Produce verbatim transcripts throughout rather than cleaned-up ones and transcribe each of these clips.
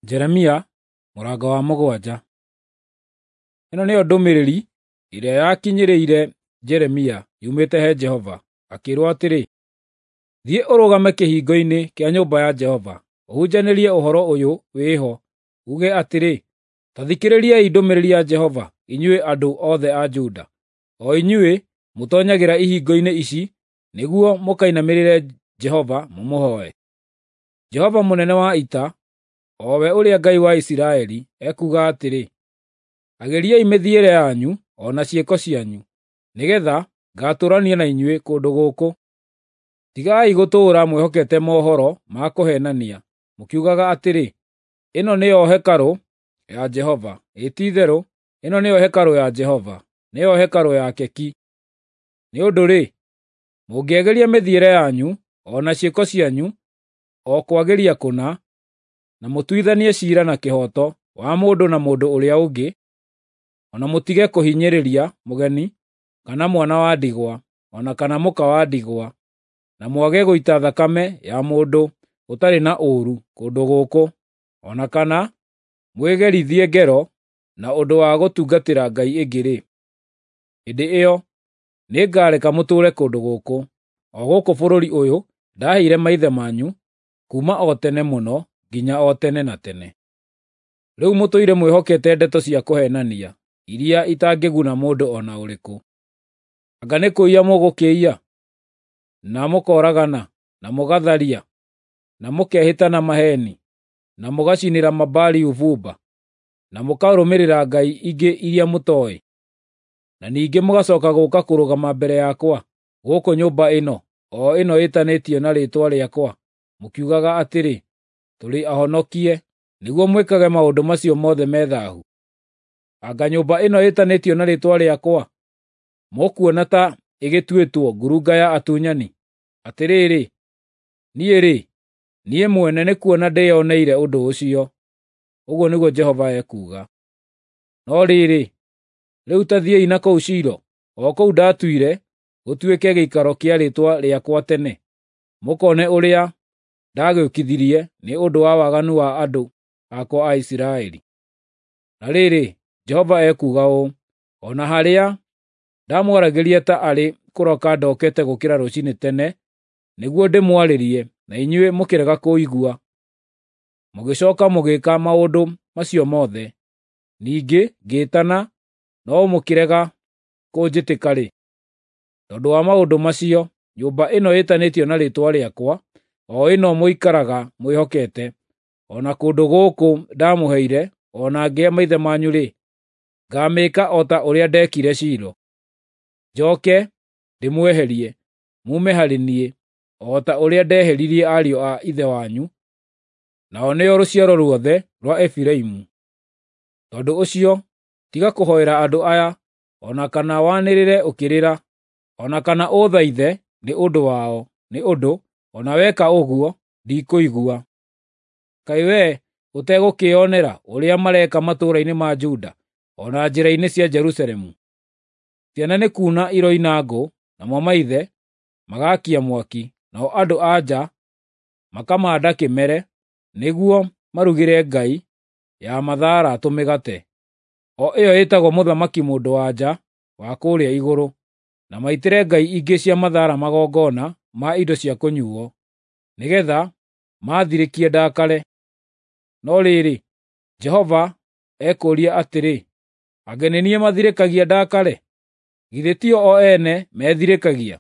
Jeremia mũrango wa mũgwanja. Ĩno nĩyo ndũmĩrĩri ĩrĩa yakinyĩrĩire Jeremia yumĩte he Jehova, akĩĩrwo atĩrĩ: Thiĩ ũrũgame kĩhingo-inĩ kĩa nyũmba ya Jehova, ũhunjanĩrie ũhoro ũyũ wĩ ho, uuge atĩrĩ, ‘Ta thikĩrĩriai ndũmĩrĩri ya Jehova, inyuĩ andũ othe a Juda, o inyuĩ mũtoonyagĩra ihingo-inĩ ici nĩguo mũkainamĩrĩre Jehova mũmũhooe. Jehova mũnene wa ita, o we ũrĩa Ngai wa Isiraeli, ekuuga atĩrĩ: Agĩriai mĩthiĩre yanyu o na ciĩko cianyu, nĩgeetha ngaatũũrania na inyuĩ kũndũ gũkũ. Tigai gũtũũra mwĩhokete mohoro ma kũheenania, mũkiugaga atĩrĩ, ‘Ĩno nĩyo hekarũ ya Jehova, ĩĩ ti-itherũ ĩno nĩyo hekarũ ya Jehova, nĩyo hekarũ yake ki!’ Nĩ ũndũ-rĩ, mũngĩagĩria mĩthiĩre yanyu o na ciĩko cianyu o kwagĩria kũna, na mũtuithanie ciira na kĩhooto wa mũndũ na mũndũ ũrĩa ũngĩ, o na mũtige kũhinyĩrĩria mũgeni, kana mwana wa ndigwa, o na kana mũka wa ndigwa, na mwage gũita thakame ya mũndũ ũtarĩ na ũũru kũndũ gũkũ, o na kana mwĩgerithie ngero na ũndũ wa gũtungatĩra ngai ĩngĩ-rĩ, hĩndĩ ĩyo nĩngareka mũtũũre kũndũ gũkũ, o gũkũ bũrũri ũyũ ndaheire maithe manyu kuuma o tene mũno nginya o tene na tene. Rĩu mũtũire mwĩhokete ndeto cia kũheenania iria itangĩguna mũndũ o na ũrĩkũ. Anga nĩ kũiya mũgũkĩiya, na mũkooragana, na mũgatharia, na mũkehĩta na maheeni, na mũgacinĩra Mabaali ũbumba, na mũkarũmĩrĩra ngai ingĩ iria mũtooĩ, na ningĩ mũgacooka gũũka kũrũgama mbere yakwa gũkũ nyũmba ĩno, o ĩno ĩtanĩtio na Rĩĩtwa rĩakwa, mũkiugaga atĩrĩ, ‘Tũrĩ ahonokie,’ nĩguo mwĩkage maũndũ macio mothe me thaahu? Anga nyũmba ĩno ĩtanĩtio na Rĩĩtwa rĩakwa mũkuona ta ĩgĩtuĩtwo ngurunga ya atunyani? Atĩrĩrĩ, niĩ-rĩ, niĩ mwene nĩkuona ndĩĩoneire ũndũ ũcio, ũguo nĩguo Jehova ekuuga. No rĩrĩ, rĩu ta thiĩi na kũu Shilo, o kũu ndaatuire gũtuĩke gĩikaro kĩa Rĩĩtwa rĩakwa tene, mũkoone ũrĩa ndagĩũkithirie nĩ ũndũ wa waganu wa andũ akwa a Isiraeli. Na rĩrĩ, Jehova ekuuga ũũ: O na harĩa ndamwaragĩria ta arĩ kũroka ndokete gũũkĩra rũciinĩ tene nĩguo ndĩmwarĩrie, na inyuĩ mũkĩrega kũigua, mũgĩcooka mũgĩĩka maũndũ macio mothe, ningĩ ngĩĩtana, no mũkĩrega kũnjĩtĩka-rĩ, tondũ wa maũndũ macio, nyũmba ĩno ĩtanĩtio na Rĩĩtwa rĩakwa, o ĩno mũikaraga mwĩhokete, o na kũndũ gũkũ ndamũheire o na ngĩhe maithe manyu-rĩ, ngaamĩĩka o ta ũrĩa ndeekire Shilo. Njooke ndĩmweherie, muume harĩ niĩ, o ta ũrĩa ndeheririe ariũ a ithe wanyu, nao nĩo rũciaro ruothe rwa Efiraimu. Tondũ ũcio, tiga kũhoera andũ aya, o na kana wanĩrĩre ũkĩrĩra, o na kana ũũthaithe nĩ ũndũ wao, nĩ ũndũ o na weka ũguo ndikũigua. Kaĩ wee ũtegũkĩĩonera ũrĩa mareka matũũra-inĩ ma Juda, o na njĩra-inĩ cia Jerusalemu? Ciana nĩ kuuna iroina ngũ, namo maithe magaakia mwaki, nao andũ-a-nja makamanda kĩmere nĩguo marugĩre ngai ya mathaara tũmĩgate, o ĩyo ĩtagwo Mũthamaki-Mũndũ-wa-nja wa kũũrĩa Igũrũ, na maitĩre ngai ingĩ cia mathaara magongona ma indo cia kũnyuuo, nĩgeetha maathirĩkie ndakare. No rĩrĩ, Jehova ekũũria atĩrĩ, “Anga nĩ niĩ mathirĩkagia ndakare? Githĩ tio o ene methirĩkagia,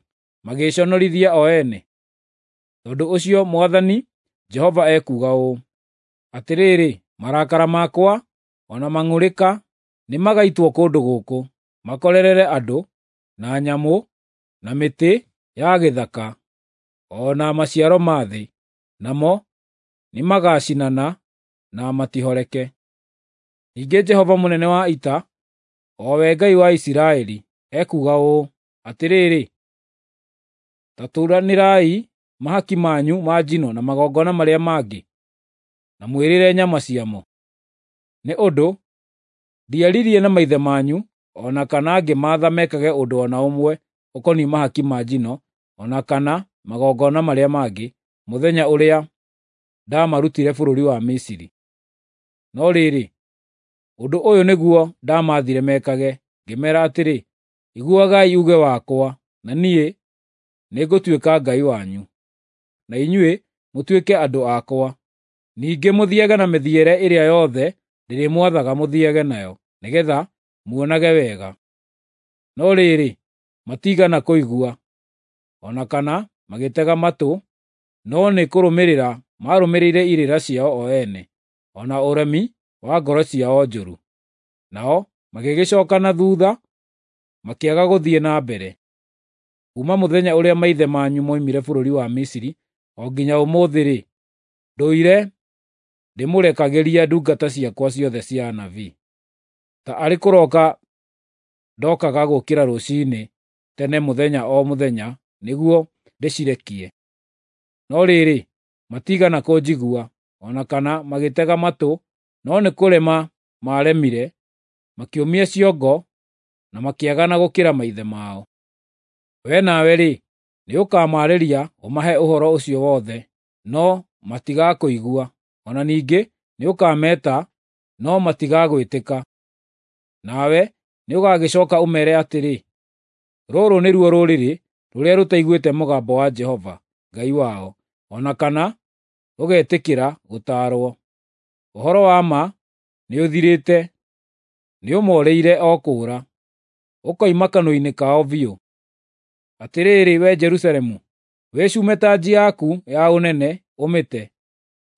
magĩĩconorithia o ene?” Tondũ ũcio Mwathani Jehova ekuuga ũũ: Atĩrĩrĩ, marakara makwa o na mang'ũrĩka nĩmagaitwo kũndũ gũkũ, makorerere andũ, na nyamũ, na mĩtĩ ya gĩthaka, o na maciaro ma thĩ, namo nĩmagacinana na matihoreke. Ningĩ Jehova mũnene wa ita, o we Ngai wa Isiraeli, ekuuga ũũ: Atĩrĩrĩ, ta turanĩrai mahaki manyu ma njino na magongona marĩa mangĩ, na mwĩrĩre nyama ciamo. Nĩ ũndũ ndiaririe na maithe manyu o na kana ngĩmaatha mekage ũndũ o na ũmwe ũkoniĩ mahaki ma njino o na kana magongona marĩa mangĩ, mũthenya ũrĩa ndaamarutire bũrũri wa Misiri. No rĩrĩ, ũndũ ũyũ nĩguo ndamaathire mekage, ngĩmeera atĩrĩ, ‘Iguagai uuge wakwa, na niĩ nĩngũtuĩka Ngai wanyu, na inyuĩ mũtuĩke andũ akwa. Ningĩ mũthiage na mĩthiĩre ĩrĩa yothe ndĩrĩmwathaga mũthiage nayo, nĩgeetha muonage wega.’ No rĩrĩ, matiigana kũigua, o na kana magĩtega matũ, no nĩ kũrũmĩrĩra maarũmĩrĩire irĩra ciao o ene, o na ũremi wa ngoro ciao njũru. Nao magĩgĩcooka na thuutha, makĩaga gũthiĩ na mbere. Kuuma mũthenya ũrĩa maithe manyu moimire bũrũri wa Misiri o nginya ũmũthĩ-rĩ, ndũire ndĩmũrekagĩria ndungata ciakwa ciothe cia anabii. Ta arĩ kũroka ndokaga gũũkĩra rũciinĩ tene mũthenya o mũthenya nĩguo ndĩcirekie. No rĩrĩ, matiigana kũnjigua, o na kana magĩtega matũ, no nĩ kũrema maaremire, makĩũmia ciongo na makĩagana gũkĩra maithe mao. Wee nawe-rĩ, nĩũkamaarĩria ũmahe ũhoro ũcio wothe, no matigakũigua; o na ningĩ nĩũkameta, no matigagwĩtĩka. Nawe nĩũgagĩcooka ũmeere atĩrĩ, ‘Rũrũ nĩruo rũrĩrĩ rũrĩa rũtaiguĩte mũgambo wa Jehova Ngai wao, o na kana rũgetĩkĩra gũtaarwo. Ũhoro wa ma nĩũthirĩte, nĩũmoorĩire o kũũra, ũkoima kanua-inĩ kao biũ. Atĩrĩrĩ, wee Jerusalemu, wĩcume tanji yaku ya ũnene ũmĩte,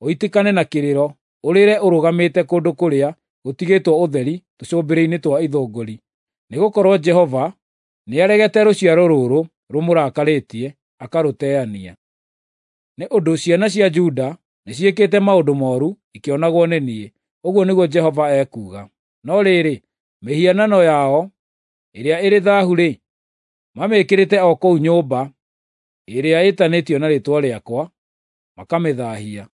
ũitĩkane na kĩrĩro, ũrĩre ũrũgamĩte kũndũ kũrĩa gũtigĩtwo ũtheri tũcũmbĩrĩ-inĩ twa ithũngũri, nĩgũkorwo Jehova nĩaregete rũciaro rũrũ rũmũrakarĩtie, akarũteania. Nĩ ũndũ ciana cia Juda nĩciĩkĩte maũndũ mooru ikĩonagwo nĩ niĩ, ũguo nĩguo Jehova ekuuga. No rĩrĩ, mĩhianano yao ĩrĩa ĩrĩ thaahu-rĩ, mamĩĩkĩrĩte o kũu nyũmba ĩrĩa ĩtanĩtio na Rĩĩtwa rĩakwa, makamĩthaahia.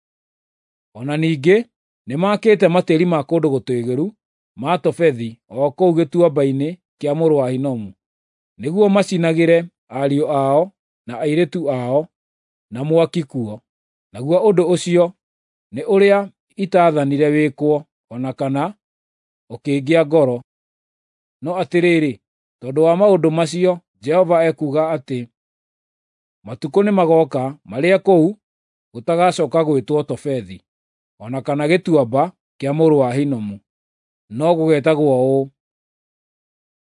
O na ningĩ nĩmakĩte matĩĩri ma kũndũ gũtũũgĩru ma Tofethi o kũu Gĩtuamba-inĩ kĩa mũrũ wa Hinomu, nĩguo macinagĩre ariũ ao na airĩtu ao na mwaki kuo, naguo ũndũ ũcio nĩ ũrĩa itaathanire wĩkwo, o na kana ũkĩngĩa ngoro. No atĩrĩrĩ, tondũ wa maũndũ macio Jehova ekuuga atĩ matukũ nĩmagooka marĩa kũu gũtagacooka gwĩtwo Tofethi, o na kana Gĩtuamba kĩa mũrũ wa Hinomu, no gũgeetagwo ũũ,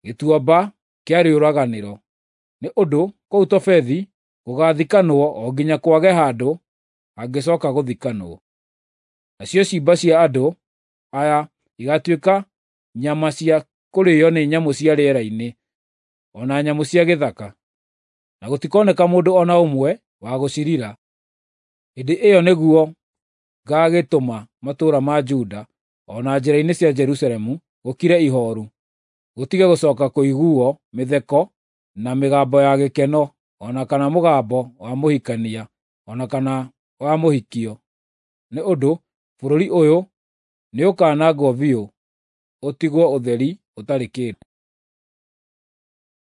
Gĩtuamba kĩa Rĩũraganĩro, nĩ ũndũ kũu Tofethi gũgaathikanwo o nginya kwage handũ hangĩcooka gũthikanwo. Nacio ciimba cia andũ aya igaatuĩka nyama cia kũrĩĩo nĩ nyamũ cia rĩera-inĩ, o na nyamũ cia gĩthaka, na gũtikoneka mũndũ o na ũmwe wa gũcirira. Hĩndĩ ĩyo nĩguo ngaagĩtũma matũũra ma Juda o na njĩra-inĩ cia Jerusalemu gũkire ihooru, gũtige gũcooka kũiguuo mĩtheko na mĩgambo ya gĩkeno, o na kana mũgambo wa mũhikania, o na kana wa mũhikio. Nĩ ũndũ bũrũri ũyũ nĩũkanangwo biũ, ũtigwo ũtheri ũtarĩ kĩndũ.